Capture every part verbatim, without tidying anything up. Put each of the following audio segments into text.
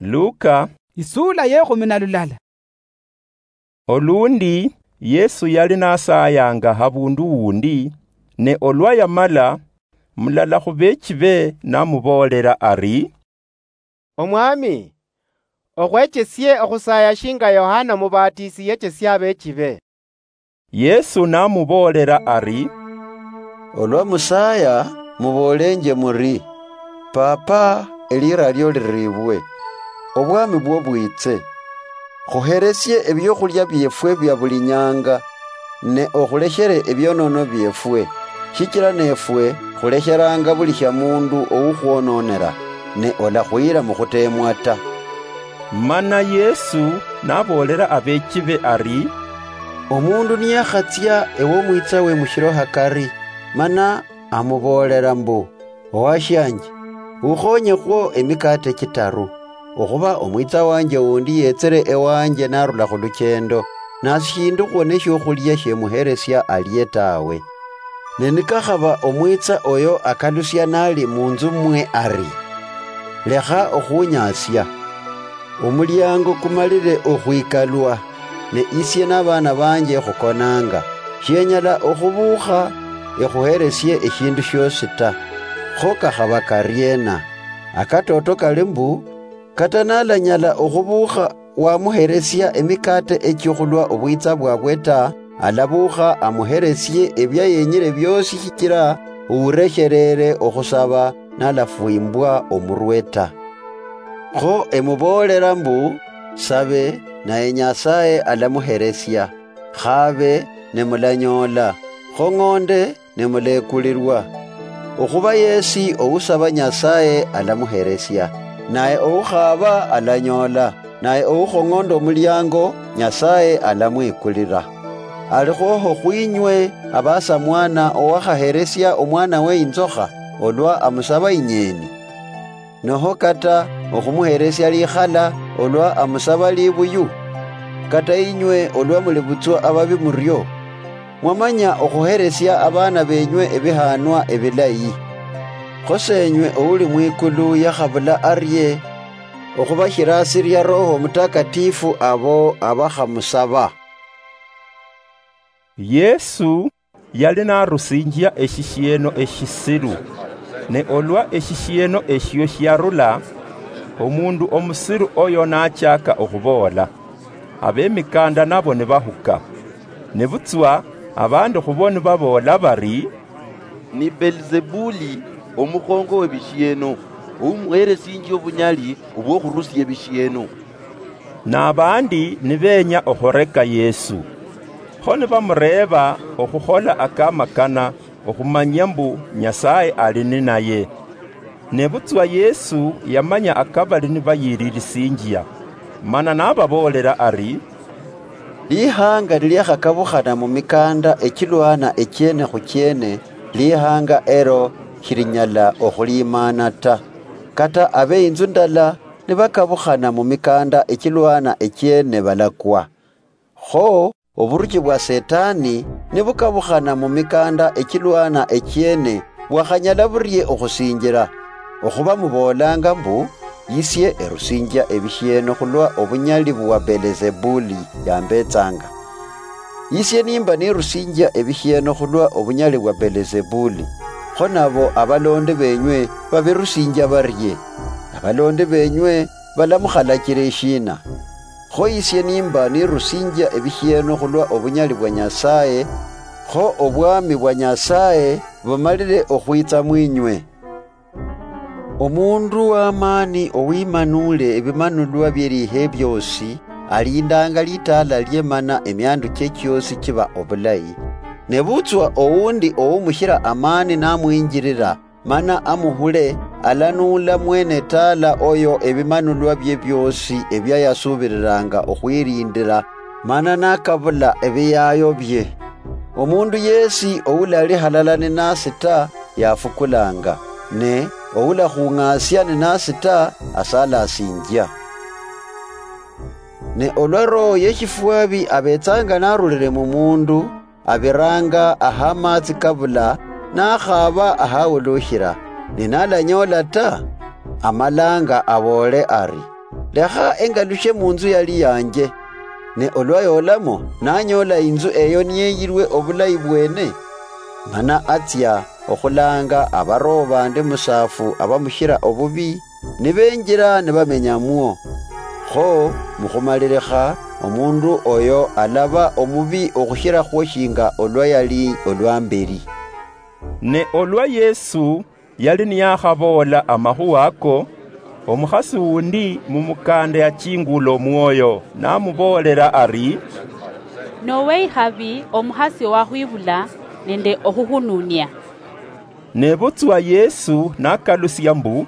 Luka. Isuula yekhumi na lulala. Olundi Yesu yali nasayanga habundu wundi, ne olwa yamala, mulala khubechibe namuboolela ari, "Omwami, okhwechesie okhusaya shinga Yohana Mubatisi yechesia abechibe." Yesu namuboolela ari, "Olwa musaya, muboolenje muri, 'Papa, elira lio liribwe, obwami bwo bwitse. Khuheresie ebiokhulia biefwe bia buli nyanga, ne okhulekhere ebionono biefwe, shichira nefwe khulekheranga buli shia mundu oukhwononera, ne olakhuyira mukhutemwa ta.'" Mana Yesu naboolela abechibe ari, "Omundu niyakhatsia ewomwitsawe mushiro hakari, mana amuboolela mbu, 'Owashianje, ukhonyekhwo emikate chitaru, okhuba omwitsa wanje wundi yetsire ewanje narula khuluchendo, nasishindukhwo neshiokhulia shiemuheresia alie tawe.' Ne nikakhaba omwitsa oyo akalusia nali munzu mwe ari, 'Lekha okhunyasia, omuliango kumalire okhwikalwa, ne isie nabana banje khukonanga, shienyala okhubukha ekhuheresie eshindu shiosi ta.' Kho kakhaba kariena? Akatoto kali mbu, kata nalanyala okhubukha wamuheresia emikate echio khulwa obwitsa bwabwe ta, alabukha amuheresie ebia yenyire biosi, shichira ouresherere okhusaba nalafwimbwa omurwe ta. Kho emuboolela mbu, sabe, naye Nyasaye alamuheresia, khabe, ne mulanyoola, khong'onde, ne muleekulirwa. Okhuba yesi ousaba Nyasaye alamuheresia, naye oukhaaba alanyoola, naye oukhong'onda omuliango, Nyasaye alamwikulira. Alikhwoho khwinywe abasamwana owakhaheresia omwanawe inzokha olwa amusaba inyeeni? Noho kata okhumuheresia likhala olwa amusaba libuyu? Kata inywe olwa muli butswa ababi murio, mwamanya okhuheresia abaana benywe ebihanwa ebilayi. Kho Senywe ouli mwikulu yakhabula arie okhubashirasiria Roho Mutakatifu abo abakhamusaba. Yesu yali narusinjia eshishieno eshisiru, ne olwa eshishieno eshio shiarula, omundu omusiru oyo nachaka okhuboola, abemikanda nabo nibahuka. Nebutswa abandi khubo nibaboola bari, "Ni Belzebuli, omukhongo webishieno, oumuheresinjia obunyali obwokhurusia ebishieno." Nabandi nibeenya okhureka Yesu, kho nibamureeba okhukhola akamakana okhumanyia mbu Nyasaye ali ninaye. Nebutswa Yesu yamanya akabali nibayiririsinjia, mana nababoolela ari, "Lihanga niliakhakabukhana mumikanda echilwana echiene khuchiene, lihanga elo shilinyala okhulimaana ta. Kata abe inzu ndala nibakabukhana mumikanda echilwana echiene balakwa. Kho oburuchi bwa Setani nibukabukhana mumikanda echilwana echiene, bwakhanyala burie okhusinjila? Okhuba muboolanga mbu, 'Isie erusinjia ebishieno khulwa obunyali bwa Belzebuli yambetsanga.' Isie nimba nirusinjia ebishieno khulwa obunyali bwa Belzebuli, kho nabo abalondi benywe babirusinjia barie? Abalondi benywe balamukhalachila eshiina? Kho isie nimba nirusinjia ebishieno khulwa obunyali bwa Nyasaye, kho obwami bwa Nyasaye bumalile okhwitsa mwinywe. Omundu w'amaani owimanule ebimanulwa bie lihe biosi, alindanga litaala lie mana emiandu chie chiosi chiba obulayi. Nebutswa oundi oumushila amaani namwinjilila, mana amuhule, alanuula mwene taala oyo ebimanulwa bie biosi ebia yasuubililanga okhwilindila, mana nakabula ebiyaayo bie. Omundu yeesi oulali halala ninasi ta, yafukulanga, ne oulakhung'aasia ninasi ta, asalasinjia. Ne olwa roho ye shifwabi abetsanga narulile mu mundu, abiranga aha matsi kabula, nakhaaba ahawulushila, ne nalanyoola ta, amalanga aboole ari, "Lekha engalushe munzu yali yanje." Ne olwa yolamo, nanyola inzu eyo niyeyirwe obulayi bwene, mana atsia okhulanga abaroho bandi musaafu abamushira obubi, nibenjira nibamenyamwo. Kho mukhumalilikha, omundu oyo alaba omubi okhushirakhwo shinga olwa yali olwa mberi. Ne olwa Yesu yali niyakhaboola amakhuwa ako, omukhasi wundi mumukanda yachingula omwoyo, namuboolela ari, "Nowe ikhabi omukhasi owakhwibula nende okhuhununia." Nebutswa Yesu nakalusia mbu,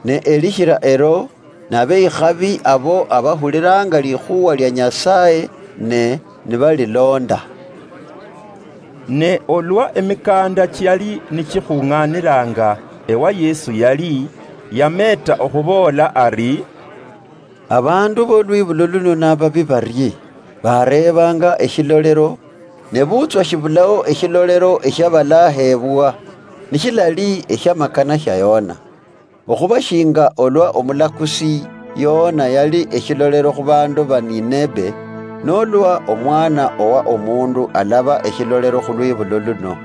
"Ne elishira elo, nabe ikhabi abo abahulilanga likhuwa lia Nyasaye ne nibalilonda." Ne olwa emikanda chiali nichikhung'anilanga ewa Yesu yali, yameeta okhuboola ari, "Abandu bolwibulo luno nababi barie, bareebanga eshilolero, nebutswa shibulao eshilolero eshiabalahebwa, nishilali eshiamakana shia Yona. Okhuba shinga olwa omulakusi Yona yali eshilolero khubandu ba Ninebe, nolwa omwana owa omundu alaba eshilolero khulwibulo luno.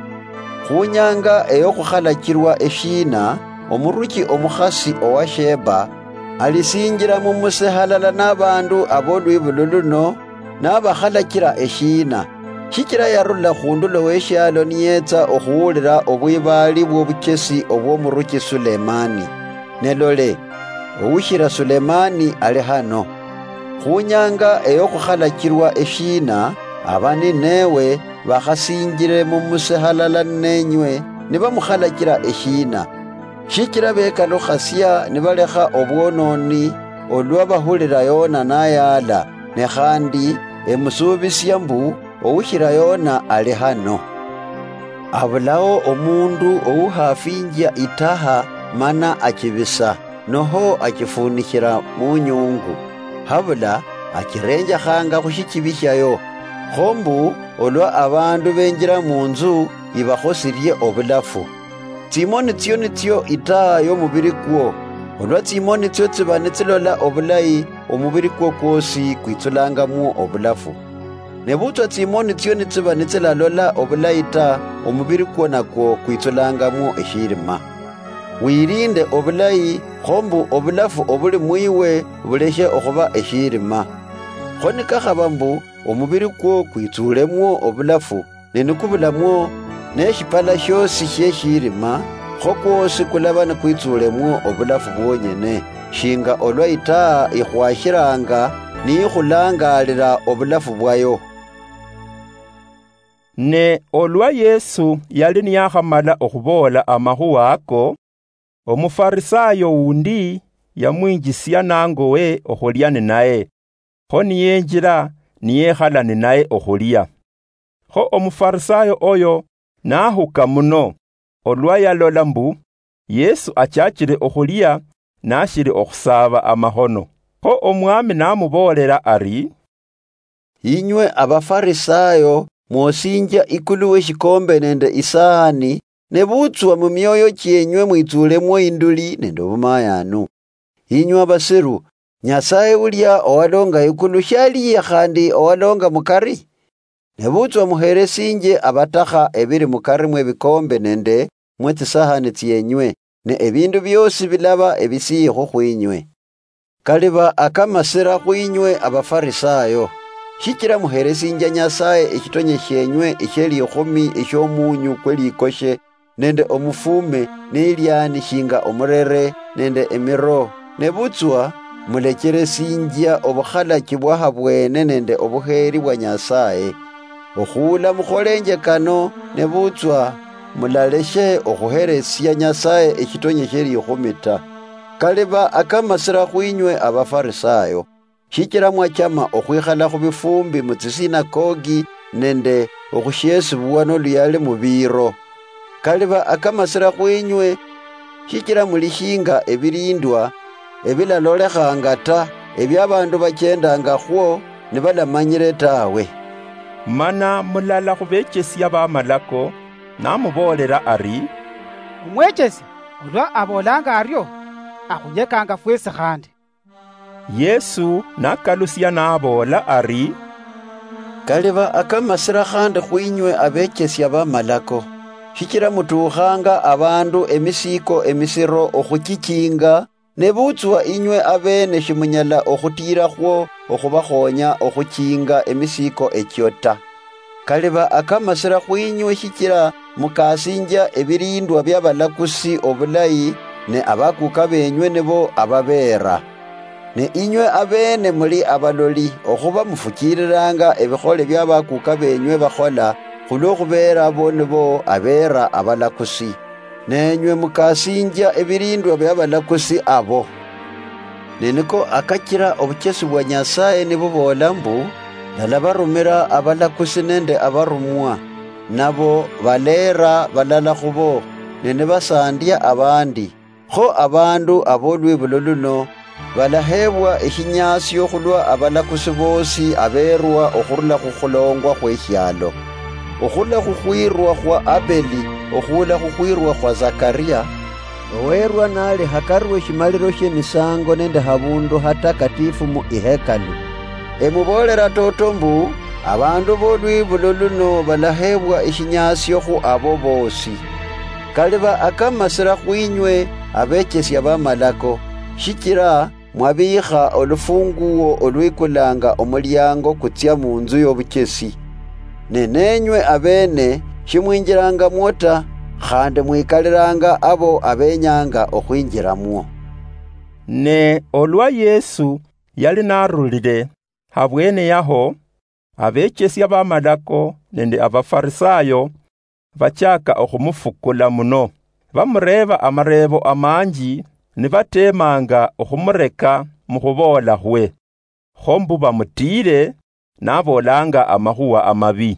Khunyanga eyokhukhalachilwa eshiina, omuruchi omukhasi owa Sheba alisinjila mumuse halala nabandu abolwibulo luno, nabakhalachila eshiina, shichila yarula khundulo weshialo niyetsa okhuwulila obwibaali bwobuchesi obwomuruchi Sulemani. Ne lole, owushila Sulemani ali hano. Khunyanga eyokhukhalachilwa eshiina, aba Nineve bakhasinjile mumuse halala nenywe, nibamukhalachila eshiina. Shichila bekalukhasia nibalekha obwononi olwa bahulila Yona nayaala, ne khandi emusuubisia mbu owushila Yona ali hano. Abulao omundu owuhafinjia itaha mana achibisa, noho achifunishila munyungu, habula achirenjakhanga khushichibi shiayo, kho mbu olwa abandu benjila munzu, ibakhosilie obulafu. Tsimoni tsio nitsio itaa yomubili kwo. Olwa tsimoni tsio tsiba nitsilola obulayi, omubili kwo kwosi kwitsulangamwo obulafu. Nebutswa tsimoni tsio nitsiba nitsilalola obulayi ta, omubili kwo nakwo kwitsulangamwo eshirima. Wilinde obulayi, kho mbu obulafu obuli mwiwe buleshe okhuba eshirima. Kho nikakhaba mbu omubili kwo kwitsulemwo obulafu, ne nikubulamwo neshipala shiosi shieshirima, kho kwosi kulaba nikwitsulemwo obulafu bwonyene, shinga olwa itaa ikhwashilanga niikhulangalila obulafu bwayo. Ne olwa Yesu yali niyakhamala okhuboola amakhuwa ako, Omufarisayo wundi yamwinjisia nangowe okhulia ninaye, kho niyenjila niyekhala ninaye okhulia. Kho Omufarisayo oyo nahuka muno, olwa yalola mbu Yesu achachile okhulia nashili okhusaaba amahono. Kho Omwami namuboolela ari, "Inywe Abafarisayo mwosinjia ikulu weshikombe nende isahani, nebutswa mumioyo chienywe mwitsulemwo induli nende obumayanu. Inywe abasiru, Nyasaye ulia owalonga ikulu shaliye khandi owalonga mukari? Nebutswa muheresinjie abatakha ebili mukari mwebikombe nende mwetsisahani tsienywe, ne ebindu biosi bilaba ebisiyihu khwinywe. Kaliba akamasira khwinywe Abafarisayo! Shichila muheresinjia Nyasaye eshitonye shienywe eshielikhumi eshiomunyu kwelikoshe, nende omufume, neliani shinga omurere, nende emiro, nebutswa mulecheresinjia obukhalachi bwahabwene nende obuheeri bwa Nyasaye. Okhuula mukholenje kano, nebutswa mulaleshe okhuheresia Nyasaye eshitonye shielikhumi ta. Kaliba akamasira khwinywe Abafarisayo! Shichila mwachama okhwikhala khubifumbi mutsisinakogi nende okhushiesibwa noluyali mubiiro. Kaliba akamasira khwinywe! Shichila muli shinga ebilindwa ebilalolekhanga ta, ebia abandu bachendangakhwo nibalamanyile tawe." Mana mulala khubechesia bamalako namuboolela ari, "Omwechesi, olwa aboolanga ario, akhunyekanga fwesi khandi." Yesu nakalusia naboola ari, "Kaliba akamasira khandi khwinywe abechesia bamalako, shichira mutuukhanga abandu emisiiko emisiro okhuchichinga, nebutswa inywe abeene shimunyala okhutiirakhwo okhubakhonya okhuchinga emisiiko echio ta. Kaliba akamasira khwinywe shichira mukasinjia ebirindwa biabalakusi obulayi, ne abakuka benywe nibo ababeera. Ne inywe abeene muli abaloli, okhuba mufuchiiriranga ebikhole bia bakuka benywe bakhola, khulwo khubeera bo nibo abeera abalakusi. Nenywe mukasinjia ebirindwa bia balakusi abo. Ne niko akachira obuchesi bwa Nyasaye nibuboola mbu, 'Ndalabarumira abalakusi nende abarumwa, nabo baleera balala khubo, ne nibasandia abandi.' Kho abandu abolwibulo luno balaheebwa eshinyasio khulwa abalakusi boosi abeerwa okhurula khukhulongwa khweshialo, okhurula khukhwirwa khwa Abeli okhuula khukhwirwa khwa Zakaria, oweerwa nali hakari weshimaliro shiemisango nende habundu hatakatifu mu ihekalu. Emuboolera toto mbu, abandu bolwibulo luno balaheebwa eshinyasio khu abo boosi. Kaliba akamasira khwinywe abechesia bamalako, shichira mwabiikha olufunguo olwikulanga omuliango kutsia munzu yobuchesi. Ne nenywe abeene shimwinjilangamwo ta, khandi mwikalilanga abo abenyanga okhwinjilamwo." Ne olwa Yesu yali narulile habwene yaho, abechesia bamalako nende Abafarisayo bachaka okhumufukula muno. Bamureeba amareebo amanji, nibateemanga okhumureka mukhuboola khwe, kho mbu bamutiire naboolanga amakhuwa amabi.